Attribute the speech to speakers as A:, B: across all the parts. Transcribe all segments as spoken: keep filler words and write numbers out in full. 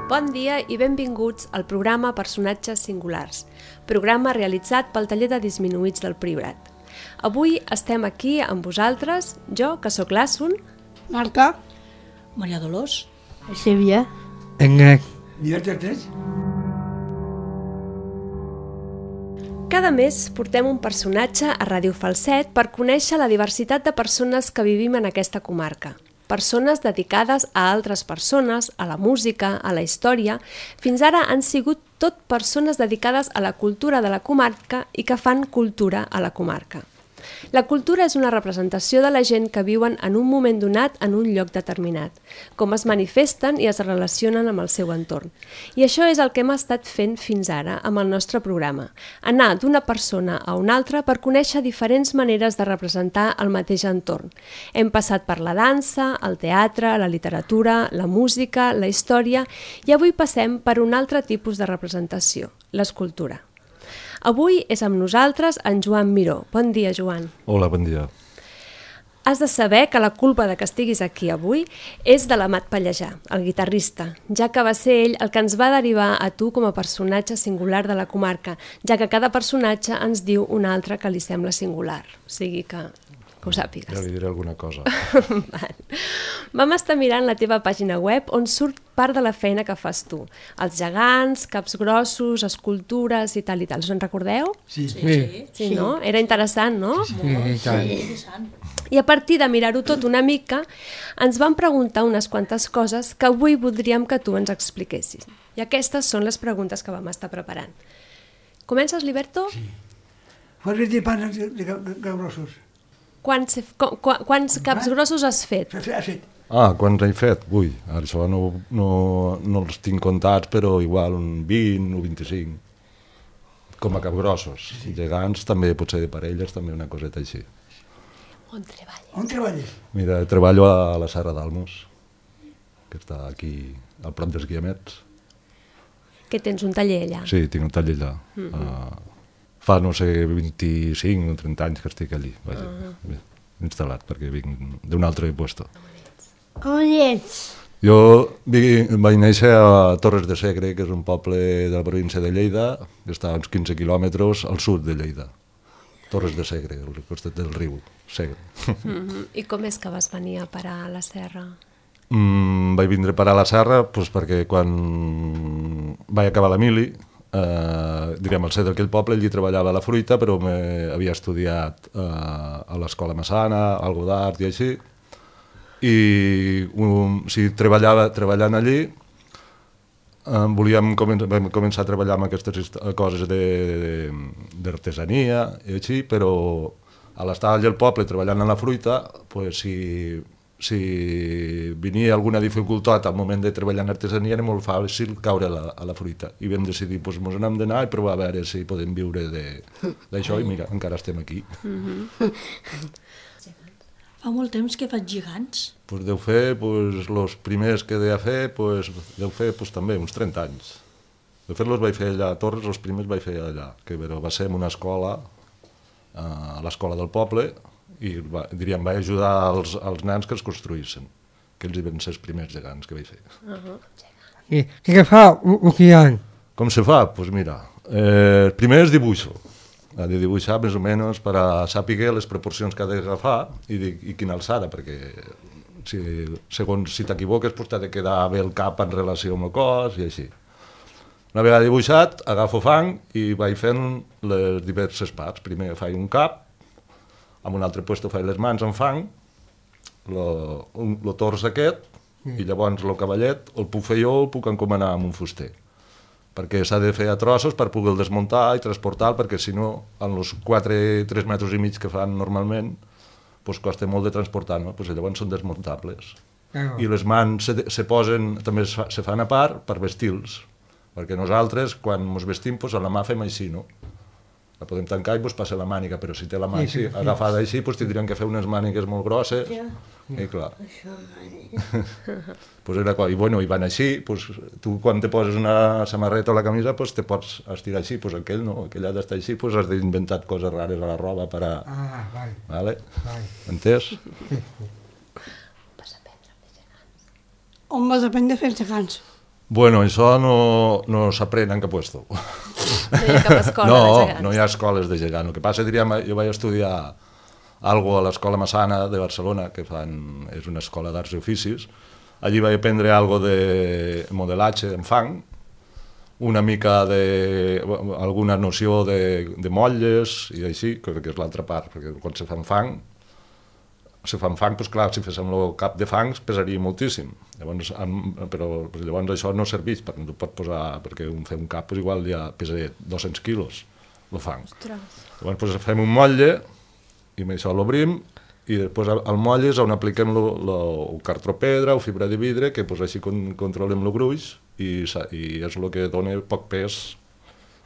A: Bon dia i benvinguts al programa Personatges Singulars, programa realitzat pel taller de disminuïts del Priorat. Avui estem aquí amb vosaltres, jo, que sóc l'Assun,
B: Marta,
C: Maria Dolors,
B: Sílvia,
D: Engrec.
E: Diverteix?
A: Cada mes portem un personatge a Ràdio Falset per conèixer la diversitat de persones que vivim en aquesta comarca. Persones dedicades a altres persones, a la música, a la història. Fins ara han sigut tot persones dedicades a la cultura de la comarca i que fan cultura a la comarca. La cultura és una representació de la gent que viuen en un moment donat en un lloc determinat, com es manifesten i es relacionen amb el seu entorn. I això és el que hem estat fent fins ara amb el nostre programa, anar d'una persona a una altra per conèixer diferents maneres de representar el mateix entorn. Hem passat per la dansa, el teatre, la literatura, la música, la història i avui passem per un altre tipus de representació, l'escultura. Avui és amb nosaltres en Joan Miró. Bon dia, Joan.
F: Hola, bon dia.
A: Has de saber que la culpa de que estiguis aquí avui és de l'Amat Pallejà, el guitarrista, ja que va ser ell el que ens va derivar a tu com a personatge singular de la comarca, ja que cada personatge ens diu un altre que li sembla singular. O sigui que... que ho sàpigues.
F: Ja li diré alguna cosa.
A: Vam estar mirant la teva pàgina web on surt part de la feina que fas tu. Els gegants, caps grossos, escultures i tal i tal. Us en recordeu?
E: Sí.
C: sí, sí.
A: Sí, no? Era interessant, no?
D: Sí, i tant.
C: Interessant.
A: I a partir de mirar-ho tot una mica, ens vam preguntar unes quantes coses que avui voldríem que tu ens expliquessis. I aquestes són les preguntes que vam estar preparant. Comences, Liberto?
E: Sí. Quants de panes de, de, de, de grossos?
A: Quants, qu qu quants caps grossos has fet?
E: Ha fet, ha fet.
F: Ah, quants he fet? Ui, ara això no, no, no els tinc comptats, però igual un vint o vint-i-cinc. Com a capgrossos. Sí. Gegants també, potser de parelles, també una coseta així.
A: On treballes?
E: On treballes?
F: Mira, treballo a la Serra d'Almos, que està aquí, al prop dels Guiamets.
A: Que tens un taller allà?
F: Sí, tinc un taller allà. Mm -hmm. uh, fa, no sé, vint-i-cinc o trenta anys que estic allí, vaja, uh -huh. instal·lat, perquè vinc d'un altre puesto.
B: on ets?
F: Jo vaig néixer a Torres de Segre, que és un poble de la província de Lleida, que està a uns quinze quilòmetres al sud de Lleida. Torres de Segre, al costat del riu Segre.
A: Mm -hmm. I com és que vas venir a parar a la serra?
F: Mm, vaig vindre a parar a la serra pues, perquè quan vaig acabar la mili, eh, direm, al ser d'aquell poble, allí treballava a la fruita, però havia estudiat eh, a l'escola Massana, algo d'art i així, i um, si treballava, treballant allí eh, volíem començar, vam començar a treballar amb aquestes coses d'artesania i així, però a l'estar allà al poble treballant en la fruita, pues, si, si venia alguna dificultat al moment de treballar en artesania era molt fàcil caure a la, a la fruita i vam decidir, doncs mos n'hem d'anar i provar a veure si podem viure d'això i mira, encara estem aquí.
A: Mm-hmm.
C: Fa molt temps que faig gegants.
F: Pues deu fer, pues, els primers que deia fer, pues, deu fer pues, també uns trenta anys. De fet, els vaig fer allà a Torres, els primers vaig fer allà, que però va ser en una escola, a l'escola del poble, i va, diríem, vaig ajudar als, als nens que els construïssin, que ells hi van ser els primers gegants que vaig fer.
A: Uh -huh.
D: I, i què fa un gegant?
F: Com se fa? Doncs pues mira, eh, primer és dibuixo. Ha de dibuixar més o menys per a saber les proporcions que ha d'agafar i, de, i quina alçada, perquè si, segons si t'equivoques pues, t'ha de quedar bé el cap en relació amb el cos i així. Una vegada dibuixat, agafo fang i vaig fent les diverses parts. Primer faig un cap, en un altre lloc faig les mans en fang, el tors aquest, mm. i llavors el cavallet el puc fer jo o el puc encomanar amb un fuster. Perquè s'ha de fer a trossos per poder desmuntar i transportar, perquè si no, en els quatre tres metres i mig que fan normalment, pues, costa molt de transportar, no? Pues, llavors són desmuntables.
D: Ah.
F: I les mans se, se posen, també es, fa, se fan a part per vestir-los, perquè nosaltres, quan ens vestim, pues, a la mà fem així, no? La podem tancar i pues, passa la màniga, però si té la mà
D: sí, sí,
F: així, agafada així, pues, tindríem que fer unes mànigues molt grosses.
B: Ja.
F: I clar. Pues era, I bueno, i van així, pues, tu quan te poses una samarreta o la camisa pues, te pots estirar així, pues, aquell no, aquell ha d'estar així, pues, has d'inventar coses rares a la roba per a...
D: Ah, vale.
F: Vale?
D: Vale.
F: Entès?
A: Vas aprendre a fer gegants.
B: On vas aprendre a fer gegants?
F: Bueno, això no, no s'aprèn en cap puesto.
A: No hi ha cap escola
F: no,
A: de gegants.
F: No hi ha escoles de gegant. El que passa, diríem, jo vaig estudiar algo a l'Escola Massana de Barcelona, que fan, és una escola d'arts i oficis. Allí vaig aprendre algo de modelatge en fang, una mica de... alguna noció de, de motlles i així, que és l'altra part, perquè quan se fan fang, si fan fang, doncs clar, si féssim el cap de fangs pesaria moltíssim. Llavors, amb, però llavors això no serveix, perquè no pot posar, perquè un, fer un cap doncs igual ja pesa dos-cents quilos, el fang.
A: Ostres.
F: Llavors doncs, fem un motlle, i amb això l'obrim, i després al motlle és on apliquem lo, lo, el cartropedra o fibra de vidre, que doncs, així con, controlem el gruix, i, i és el que dona poc pes,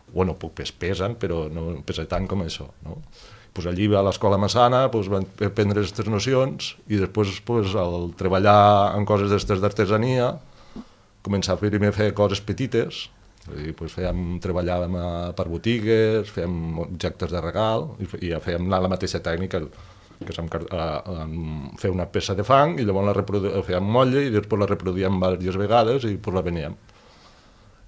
F: bueno, poc pes pesen, però no pesa tant com això, no? Pues allí a l'Escola Massana pues, van aprendre aquestes nocions i després pues, al treballar en coses d'estes d'artesania començar primer a fer coses petites i pues, fèiem, treballàvem a, per botigues, fèiem objectes de regal i, i fèiem la, la mateixa tècnica que és amb, amb fer una peça de fang i llavors la reprodu, fèiem motlle i després la reproduïem diverses vegades i pues, la veníem.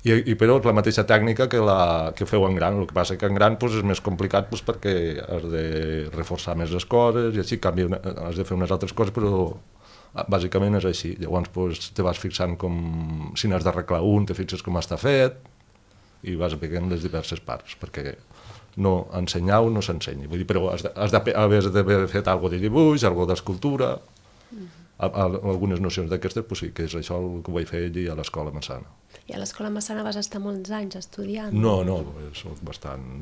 F: I, i però és la mateixa tècnica que, la, que feu en gran, el que passa que en gran pues, és més complicat pues, perquè has de reforçar més les coses i així canvia una, has de fer unes altres coses, però bàsicament és així. Llavors pues, te vas fixant com, si n'has d'arreglar un, te fixes com està fet i vas veient les diverses parts, perquè no ensenyar no s'ensenya, vull dir, però has d'haver fet alguna de dibuix, alguna d'escultura, a, a, algunes nocions d'aquestes, pues sí, que és això el que vaig fer allí a l'Escola Massana.
A: I a l'Escola Massana vas estar molts anys estudiant?
F: No, no, soc bastant...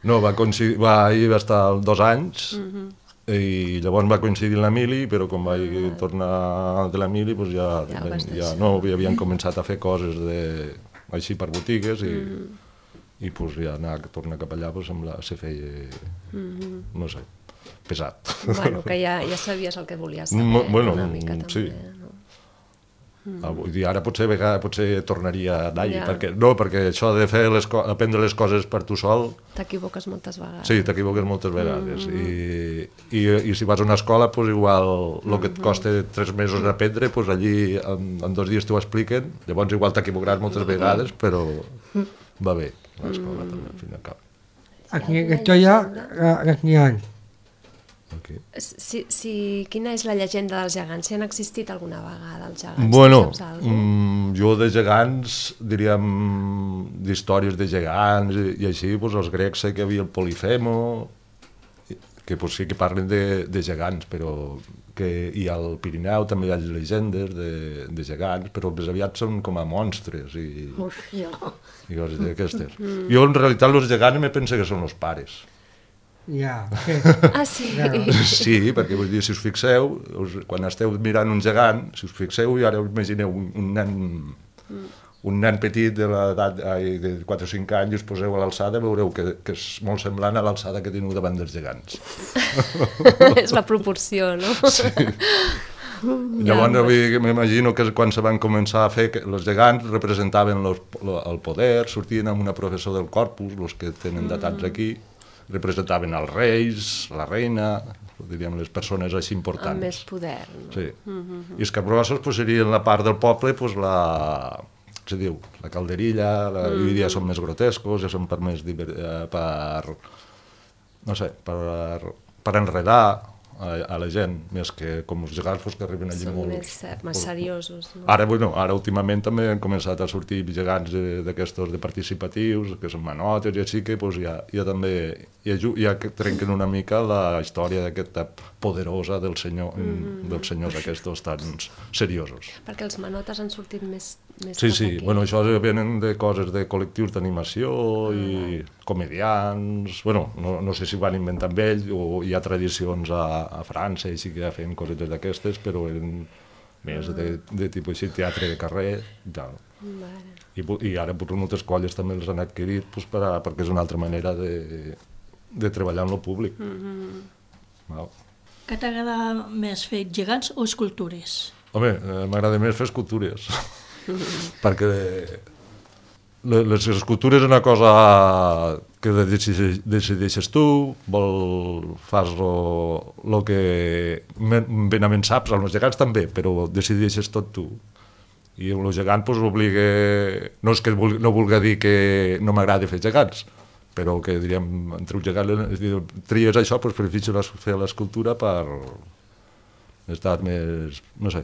F: no, va coincidir, va, ahir va estar dos anys, uh-huh. i llavors va coincidir l'Emili, però quan vaig uh-huh. tornar de l'Emili, pues ja, ja, ja no, havien començat a fer coses de, així per botigues, i, uh-huh. i pues ja anar a tornar cap allà pues, sembla, se feia, uh-huh. no sé, pesat.
A: Bueno, que ja, ja sabies el que volies saber,
F: bueno,
A: una mica també,
F: sí.
A: no?
F: Mm. Vull dir, ara potser, vegada, potser tornaria a anar-hi,
A: ja.
F: perquè, no, perquè això de fer les aprendre les coses per tu sol...
A: T'equivoques moltes vegades.
F: Sí, t'equivoques moltes vegades. Mm. I, i, I si vas a una escola, pues igual el que et costa tres mesos aprendre, pues allí en, en dos dies t'ho expliquen, llavors igual t'equivocaràs moltes vegades, però va bé, l'escola mm. també, al fin i al cap.
D: Aquí estoy ya aquí anys.
F: Okay.
A: Si, si, quina és la llegenda dels gegants? Si han existit alguna vegada els gegants?
F: Bueno, mm, jo de gegants, diríem, d'històries de gegants i, i així, pues, els grecs sé que hi havia el Polifemo, que pues, sí que parlen de, de gegants, però que i al Pirineu també hi ha llegendes de, de gegants, però més aviat són com a monstres i, i coses d'aquestes. Mm. Jo en realitat els gegants me penso que són els pares.
D: Ja.
A: Ah, sí?
F: Sí, perquè vull dir, si us fixeu, us, quan esteu mirant un gegant, si us fixeu, i ara us imagineu un, un nen un nen petit de l'edat de quatre o cinc anys i us poseu a l'alçada, veureu que, que és molt semblant a l'alçada que teniu davant dels gegants.
A: És la proporció, no?
F: Sí. Llavors m'imagino que quan se van començar a fer, els gegants representaven los, lo, el poder, sortien amb una professor del corpus, els que tenen datats aquí, representaven els reis, la reina, diríem les persones així importants.
A: Amb més poder, no?
F: Sí. Mm-hmm. I els capgrossos pues, serien la part del poble, pues, la, se diu, la calderilla, la, mm-hmm. i ja són més grotescos, ja són per més diver, per, no sé, per, per enredar a, a la gent, més que com els gegants pues, que arriben allí
A: són
F: molt...
A: més, més seriosos. No?
F: Ara, bueno, ara últimament també han començat a sortir gegants d'aquestos de participatius, que són manotes i així que pues, ja, ja també ja, ja trenquen una mica la història d'aquesta poderosa del senyor, mm-hmm. dels senyors aquests tan seriosos.
A: Perquè els manotes han sortit més, més
F: sí, sí, aquí. Bueno, això venen de coses de col·lectius d'animació ah, i comedians, bueno, no, no sé si ho van inventar amb ells o hi ha tradicions a, a França i sí que ja feien cosetes d'aquestes, però eren més de, de tipus així, teatre de carrer, ja. I, i ara potser moltes colles també els han adquirit pues, per a, perquè és una altra manera de, de treballar en lo públic. Mm-hmm.
C: Què t'agrada més fer, gegants o escultures?
F: Home, eh, m'agrada més fer escultures, perquè les escultures és una cosa que decideixes tu, vol, fas el que benament saps, els gegants també, però decideixes tot tu. I el gegant pues, obliga... No és que vulgui, no vulgui dir que no m'agrada fer gegants, però que diríem, entre un gegant i tries això, doncs prefereixo fer l'escultura per estar més, no sé,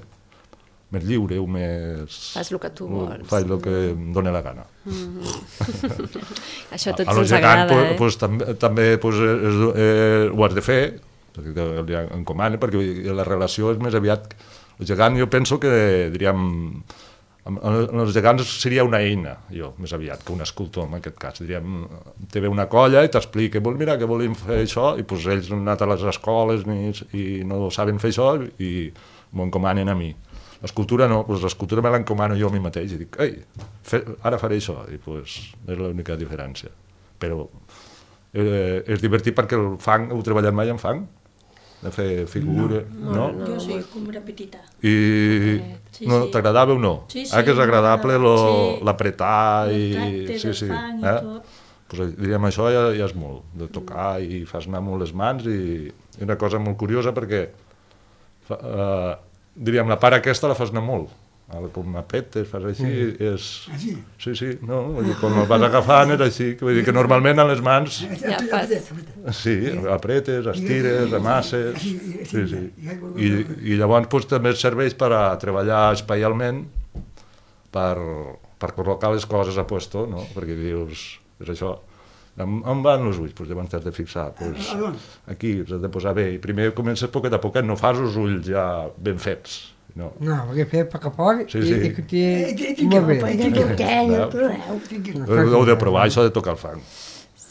F: més lliure o més...
A: Fas el que tu vols.
F: Faig el que em dóna la gana.
A: Mm-hmm. Això a tots
F: a
A: ens agrada,
F: gegant,
A: eh?
F: Pues, també també pues, és, eh, ho has de fer, perquè li encomana, perquè la relació és més aviat... El gegant jo penso que, diríem, els gegants seria una eina, jo, més aviat, que un escultor, en aquest cas. Diríem, te ve una colla i t'explica, mira, que volem fer això, i pues, ells han anat a les escoles ni, i no saben fer això i m'ho encomanen a mi. L'escultura no, pues, l'escultura me l'encomano jo a mi mateix i dic, ei, fe, ara faré això, i pues, és l'única diferència. Però eh, és divertit perquè el fang, heu treballat mai en fang? De fer figura, no?
C: no? no jo sí, com era petita.
F: I
C: sí,
F: no,
C: sí.
F: t'agradava o no?
C: Sí, sí.
F: Ah, que és agradable
C: sí.
F: l'apretar i...
C: El
F: sí, sí.
C: fang
F: eh?
C: i tot.
F: Pues, diríem, això ja, ja és molt, de tocar mm. i fas anar molt les mans i, i una cosa molt curiosa perquè fa, uh, diríem, la part aquesta la fas anar molt. Com apretes, fas així, mm. és...
E: Així?
F: Sí, sí, no, vull dir, quan el vas agafant és així, vull dir que normalment a les mans...
A: Ja fas.
F: Sí, apretes, estires, amasses... Sí, sí. I, i llavors pues, també serveix per a treballar espaialment, per, per col·locar les coses a puesto, no? Perquè dius, és això, on, on van els ulls? Pues llavors t'has de fixar, pues, aquí, has de posar bé, i primer comences poquet a poquet, no fas els ulls ja ben fets. No,
D: no perquè fer poc a poc
F: sí, sí.
D: i que té molt bé.
F: Heu de provar això de tocar el fang.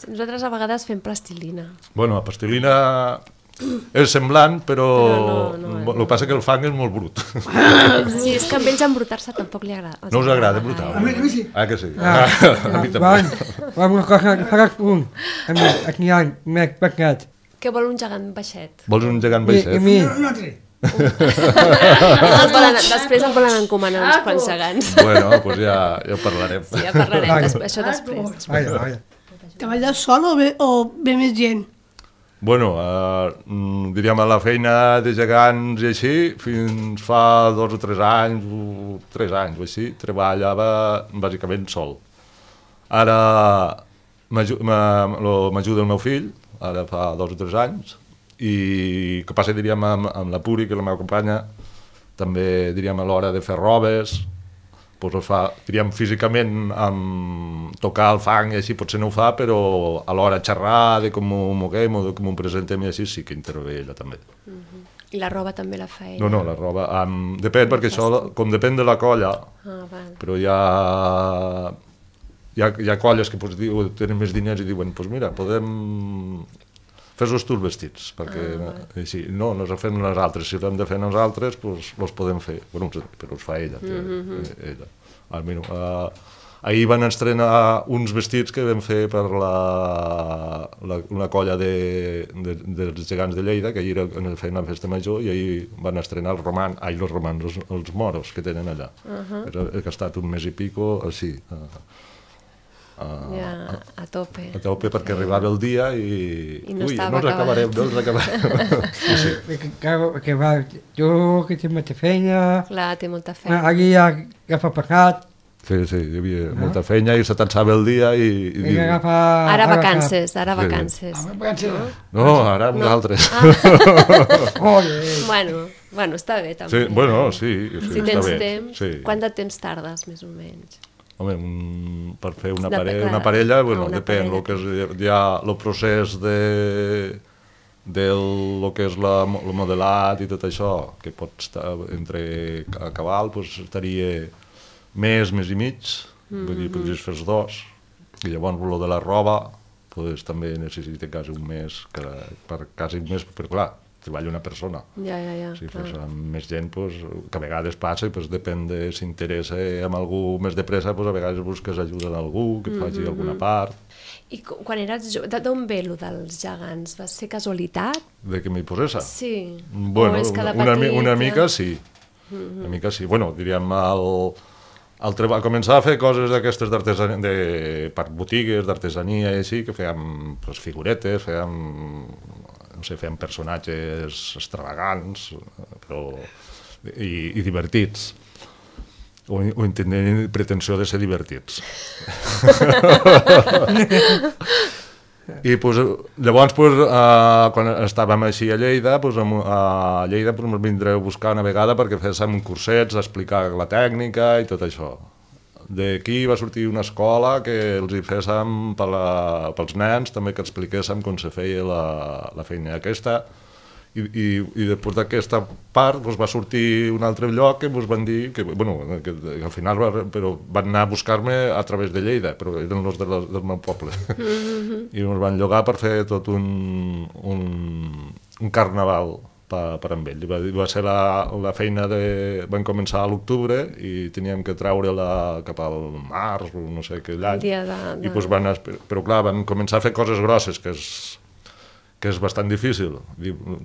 A: Nosaltres a vegades fem plastilina.
F: Bueno, la plastilina és semblant, però,
A: però no, no,
F: el que passa que el fang és molt brut.
A: Sí, és que a ells embrutar-se tampoc li agrada.
F: No us agrada embrutar?
E: A mi, a mi sí.
F: Ah, que sí?
D: Ah,
F: a mi també.
D: Va, una cosa, faràs un, a mi, aquí hi ha més pecat.
A: Què vol un gegant baixet?
F: Vols un gegant
D: I, i
F: baixet?
D: mi,
E: No, un altre.
A: Es volen, després em volen encomanar uns quants gegants.
F: Bueno, doncs ja, ja ho parlarem.
A: Sí, ja parlarem, des, això després.
D: vaja, vaja.
B: Treballes sol o ve, o ve més gent?
F: Bueno, eh, diríem a la feina de gegants i així, fins fa dos o tres anys, o tres anys o així, treballava bàsicament sol. Ara m'ajuda el meu fill, ara fa dos o tres anys, i que passa, diríem, amb, amb la Puri, que és la meva companya, també, diríem, a l'hora de fer robes, doncs ho fa, diríem, físicament, amb tocar el fang i així potser no ho fa, però a l'hora de xerrar, de com ho moguem o de com ho presentem i així, sí que intervé ella també.
A: Uh-huh. I la roba també la fa ella?
F: No, no, la roba, um, depèn, perquè això, com depèn de la colla,
A: ah, val.
F: però hi ha, hi ha, hi ha colles que pues, diu, tenen més diners i diuen, doncs pues mira, podem... fes-los tu els vestits, perquè ah, així, no, no els fem nosaltres, si els hem de fer nosaltres, doncs els podem fer, bueno, però els fa ella. Mm-hmm. ella. Ah, mira, uh, ahir van estrenar uns vestits que vam fer per la, la, una colla de, de, dels gegants de Lleida, que ahir feien una festa major, i ahir van estrenar els romans, ai, els romans, els, els moros que tenen allà. Uh-huh. He gastat un mes i pico, així, uh,
A: Uh, ja, a tope.
F: A tope perquè arribava el dia i...
A: I no
F: Ui,
A: estava
F: no els
A: acabat.
F: acabarem, no els acabarem. Sí, sí.
D: Perquè, clar, que va, tu que té molta feina,
A: Clar, té molta feina.
D: allí ja agafa pecat,
F: Sí, sí, hi havia molta feina i se t'ensava el dia i... i
D: i
F: diu,
D: agafa...
A: Ara vacances, ara
F: Sí.
A: vacances.
E: Ah, vacances.
F: no, ara amb nosaltres.
D: Joder,
A: Bueno, bueno, està bé també.
F: Sí, bueno, sí, sí,
A: Si
F: està
A: tens
F: bé.
A: temps,
F: Sí.
A: quant de temps tardes, més o menys?
F: Home, un, per fer una,
A: Dep-
F: pare,
A: clar.
F: una parella, bueno,
A: Ah, una
F: depèn,
A: parella.
F: el que és, hi ha el procés de, del lo que és la, el modelat i tot això, que pot estar entre a cabal, doncs estaria mes, mes i mig, mm-hmm. vull dir, podries fer dos, i llavors el de la roba, doncs també necessita quasi un mes, que, per quasi un mes, però clar, treballa una persona.
A: Ja, ja, ja.
F: Si
A: clar.
F: fos amb més gent, pues, que a vegades passa i pues, depèn de si interessa amb algú més de pressa, pues, a vegades busques ajuda d'algú que et faci
A: Mm-hmm.
F: alguna part.
A: I cu- quan eres jove, de- d'on ve lo dels gegants? Va ser casualitat?
F: De que m'hi posés?
A: Sí.
F: Bueno,
A: O és que de
F: una, mi-
A: petit
F: una
A: ja-
F: mica sí.
A: Mm-hmm.
F: Una mica sí. Bueno, diríem, el, el treba, començar a fer coses d'aquestes d'artesania, de, per botigues, d'artesania i així, que fèiem pues, figuretes, fèiem, no sé, fèiem personatges extravagants, però, i, i divertits. o, o tenien pretensió de ser divertits. I pues, llavors, pues, uh, quan estàvem així a Lleida, pues, a Lleida pues, ens vindré a buscar una vegada perquè féssim cursets, a explicar la tècnica i tot això. D'aquí va sortir una escola que els hi féssim per la, pels nens, també que expliquéssim com se feia la, la feina aquesta. I, i, i després d'aquesta part pues, va sortir un altre lloc que ens van dir que, bueno, que, que al final va, però van anar a buscar-me a través de Lleida, però eren els de la, del meu poble. Mm-hmm. I ens van llogar per fer tot un, un, un carnaval per, per amb ell. Va, va ser la, la feina de... Vam començar a l'octubre i teníem que treure-la cap al març o no sé què l'any.
A: De, de...
F: I pues, van, però clar, van començar a fer coses grosses, que és que és bastant difícil.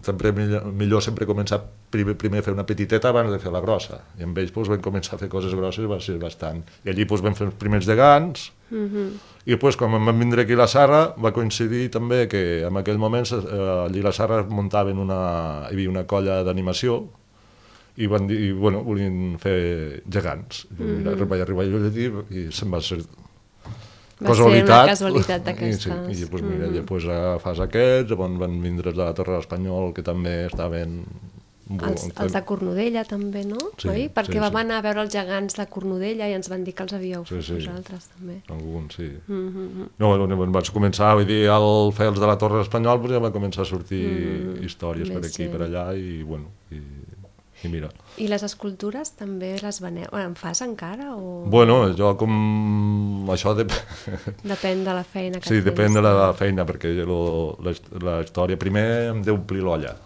F: Sempre millor, millor sempre començar primer, primer a fer una petiteta abans de fer la grossa. I amb ells doncs, vam començar a fer coses grosses i va ser bastant. I allí doncs, vam fer els primers gegants, mm-hmm. i doncs, quan vam vindre aquí a la Serra va coincidir també que en aquell moment eh, allí a la Serra muntaven una, hi havia una colla d'animació i van dir, bueno, volien fer gegants. Mm-hmm. Mira, vaig arribar jo allí i se'n va ser...
A: Va casualitat. Ser una casualitat d'aquestes.
F: I, sí, i doncs, mira, mm-hmm. després agafàs aquests, llavors van vindre de la Torre l'Espanyol, que també estaven...
A: Els, els de Cornudella també, no?
F: Sí,
A: oi? Perquè
F: sí,
A: vam
F: sí.
A: anar a veure els gegants de Cornudella i ens van dir que els havíeu
F: sí,
A: fet
F: sí.
A: vosaltres també.
F: Alguns, sí.
A: Mm-hmm.
F: No, no, vaig començar, vull dir, al fer els de la Torre l'Espanyol, doncs ja va començar a sortir mm-hmm. històries Més per aquí, sí. per allà, i bueno, i, i mira.
A: I les escultures també les veneu? En fas encara? O...
F: Bueno, jo com... Això dep...
A: depèn de la feina que
F: sí,
A: tens.
F: depèn de la feina, perquè lo, la, la història primer em deu omplir l'olla.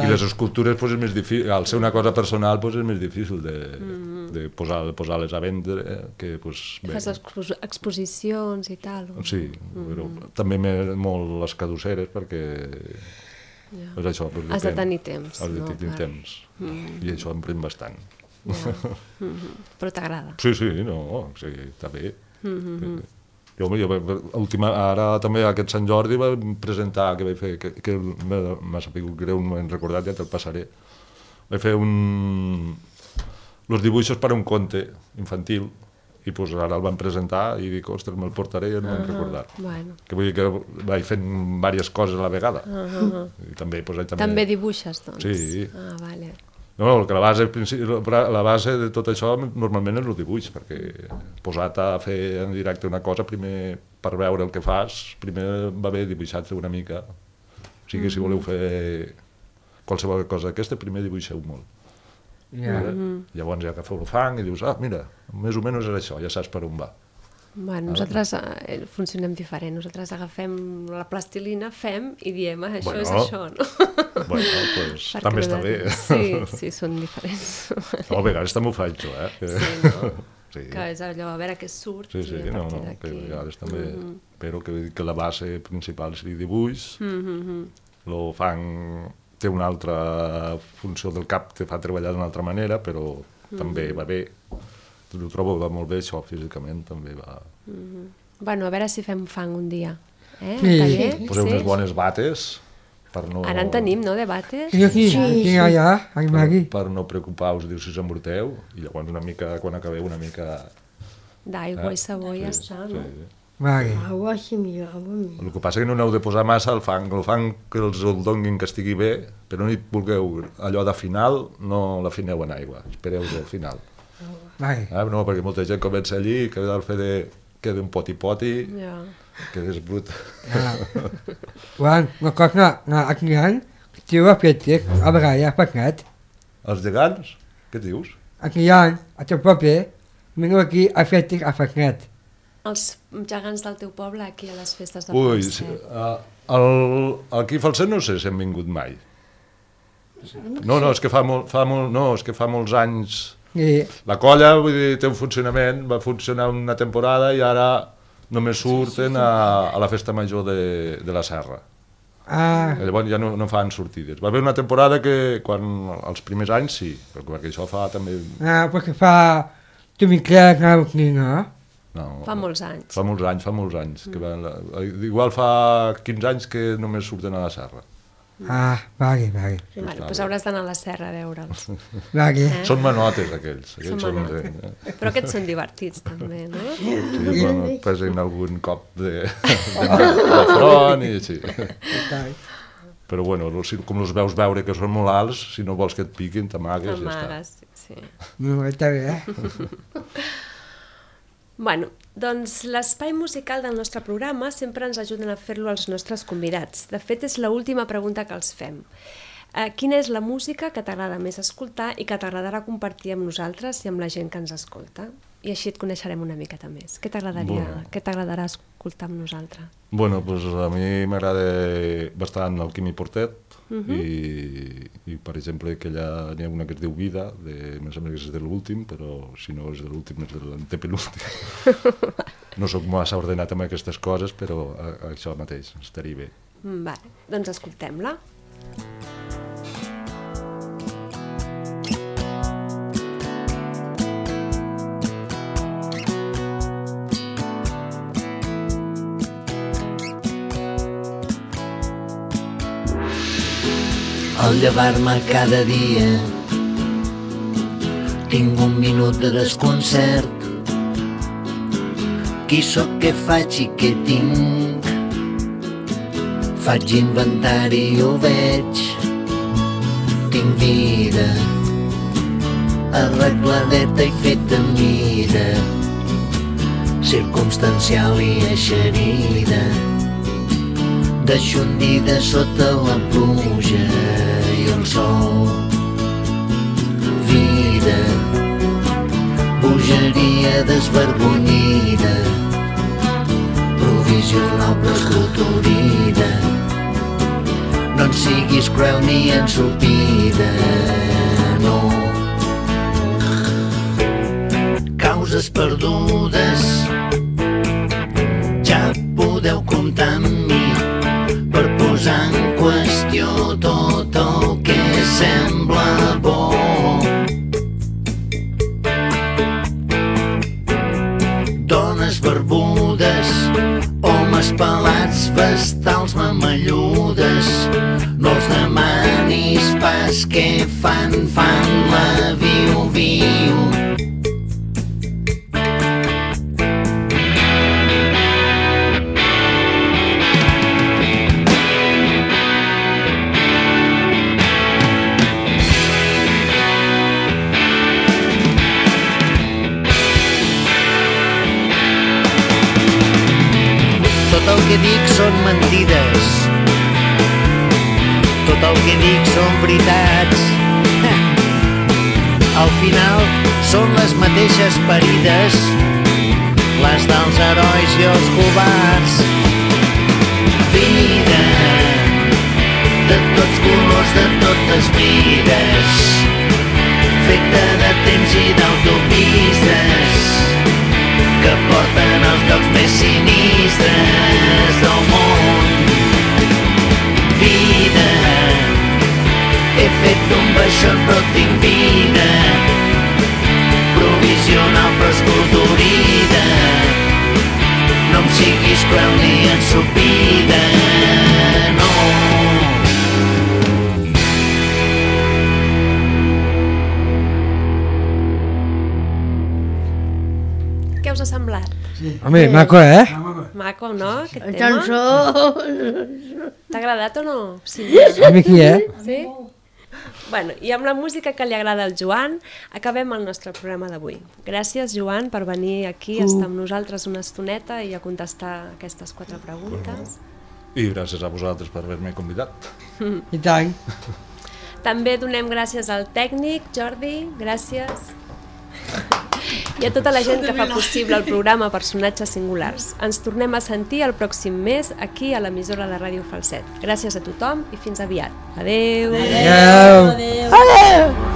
F: I les escultures pues, és més difícil, al ser una cosa personal pues, és més difícil de, mm-hmm. de posar, posar-les a vendre, que pues, bé.
A: Fas expos exposicions i tal? O...
F: Sí, mm-hmm. però també molt les caduceres perquè
A: ja.
F: és això, pues,
A: has de tenir temps.
F: Has de
A: no?
F: tenir temps, mm-hmm. i això em pren bastant.
A: Ja. Mm-hmm. Però t'agrada?
F: Sí, sí, no, sí, està bé. Mm-hmm. Jo, jo, última, ara també aquest Sant Jordi vam presentar, que vaig fer, que, que m'ha sabut greu, no m'he recordat, ja te'l passaré. Vaig fer un... els dibuixos per a un conte infantil, i pues, ara el van presentar i dic, ostres, me'l portaré i no m'he uh -huh. recordat.
A: Bueno.
F: Que vull dir que vaig fent diverses coses a la vegada. Uh -huh. I també, pues, també...
A: també dibuixes, doncs?
F: Sí.
A: Ah, vale.
F: No, que la base, la base de tot això normalment és el dibuix, perquè posat a fer en directe una cosa, primer per veure el que fas, primer va bé dibuixar-te una mica. O sigui, mm-hmm. si voleu fer qualsevol cosa d'aquesta, primer dibuixeu molt. Yeah. Mm-hmm. Llavors ja agafeu el fang i dius, ah, mira, més o menys és això, ja saps per on va.
A: Bueno, nosaltres eh, funcionem diferent. Nosaltres agafem la plastilina, fem i diem, ah, això
F: bueno,
A: és això, no?
F: Bueno, pues, també està bé.
A: Sí, sí, són diferents.
F: No, a vegades també ho faig jo, eh?
A: Sí, no?
F: Sí.
A: Que és allò, a veure què surt.
F: Sí, sí,
A: i a
F: no,
A: partir
F: no,
A: d'aquí...
F: que a vegades també...
A: Mm-hmm.
F: Però que, que la base principal és el dibuix,
A: mm-hmm.
F: el fang té una altra funció del cap, te fa treballar d'una altra manera, però mm-hmm. també va bé. Ho trobo va molt bé, això físicament també va...
A: Mm-hmm. Bueno, a veure si fem fang un dia. Eh?
D: Sí.
F: Poseu
A: sí?
F: unes bones bates per no...
A: Ara en tenim, no, de bates?
D: Sí, aquí, sí, aquí, sí. allà, aquí, aquí.
F: Per, per no preocupar-vos, diu, si us embruteu, i llavors una mica, quan acabeu, una mica...
A: D'aigua
F: eh?
A: i sabó i ja
F: sí,
A: està, no?
F: Sí.
D: Vale.
C: Agua sí, mira, agua mira.
F: El que passa és que no n'heu de posar massa al fang, el fang que els el donguin que estigui bé, però no hi vulgueu allò de final, no l'afineu en aigua, espereu al final.
D: Vale.
F: Ah, no, perquè molta gent comença allí, que al fer de... queda un poti-poti,
A: Ja.
F: que és brut.
D: Ah. Quan, una cosa, no, aquí han, que ho ha fet, a vegades, paquet.
F: Els gegants? Què dius?
D: Aquí han, a teu paper, veniu aquí a fer a paquet.
A: Els gegants del teu poble aquí a les festes de
F: Ui,
A: Falset.
F: sí, uh, el, aquí a Falset no sé si han vingut mai. No, no, és que fa, molt, fa, molt, no, és que fa molts anys...
D: Sí.
F: La colla, vull dir, té un funcionament, va funcionar una temporada i ara només surten a, a la festa major de, de la Serra.
D: Ah.
F: Llavors ja no, no fan sortides. Va haver una temporada que, quan els primers anys sí, perquè això fa també...
D: Ah, perquè fa... Tu m'hi creus, no, no?
F: No,
A: Fa molts anys.
F: Fa molts anys, fa molts anys. Mm. Que van, igual fa quinze anys que només surten a la Serra.
D: Ah, vale, vale.
A: Bueno, doncs hauràs d'anar a la serra a veure'ls.
D: Vale.
A: Eh?
F: Són manotes, aquells.
A: Són
F: aquells són,
A: manotes.
F: eh,
A: Però aquests són divertits, també, no?
F: Sí, bueno, et pesen algun cop de, de, de front i així. Però bueno, si, com els veus veure que són molt alts, si no vols que et piquin, t'amagues i ja està.
A: Amagues, sí.
D: No, està bé, eh?
A: Bueno, doncs l'espai musical del nostre programa sempre ens ajuden a fer-lo els nostres convidats. De fet, és l'última pregunta que els fem. Eh, quina és la música que t'agrada més escoltar i que t'agradarà compartir amb nosaltres i amb la gent que ens escolta? I així et coneixerem una miqueta més. Què t'agradaria,
F: Bueno.
A: què t'agradarà escoltar amb nosaltres?
F: Bueno, doncs a mi m'agrada bastant el Quimi Portet,
A: Mhm.
F: i, i per exemple que allà n'hi ha una que es diu Vida, de, em sembla que és de l'últim, però si no és de l'últim és de l'antepenúltim. No sóc massa ordenat amb aquestes coses, però a, a això mateix estaria bé.
A: Mm, Vale, doncs escoltem-la.
G: Al llevar-me cada dia tinc un minut de desconcert. Qui sóc, què faig i què tinc? Faig inventari i ho veig. Tinc vida arregladeta i feta a mida, circumstancial i eixerida, deixondida sota la pluja i el sol. Vida, bogeria desvergonyida, provisional però esculturida. No en siguis cruel ni ensopida, no. Causes perdudes, ja podeu comptar amb mi per posar en qüestió tot el que sembla bo. Dones barbudes, homes pelats, vestals mamelludes, no els demanis pas què fan, fan la viu-viu. Tot el que dic són mentides, tot el que dic són veritats. Al final són les mateixes parides, les dels herois i els covards. Vida de tots colors, de totes mides, feta de temps i d'autopistes que porten als llocs més sinistres del món. Vida, he fet un baixot però tinc vida, provisional però esculturida. No em siguis cruel ni ensopida, no.
A: Què us ha semblat?
D: Home, maco, eh?
A: Maco, no? Aquest
B: La
A: tema?
B: cançó...
A: T'ha agradat o no? Sí.
D: A mi qui, eh?
A: Sí? Bueno, i amb la música que li agrada al Joan, acabem el nostre programa d'avui. Gràcies, Joan, per venir aquí, a estar amb nosaltres una estoneta i a contestar aquestes quatre preguntes.
F: I gràcies a vosaltres per haver-me convidat.
D: I tant.
A: També donem gràcies al tècnic, Jordi, gràcies. I a tota la gent que fa possible el programa Personatges Singulars. Ens tornem a sentir el pròxim mes aquí a l'emissora de Ràdio Falset. Gràcies a tothom i fins aviat. Adéu!
D: Adéu.
B: Adéu!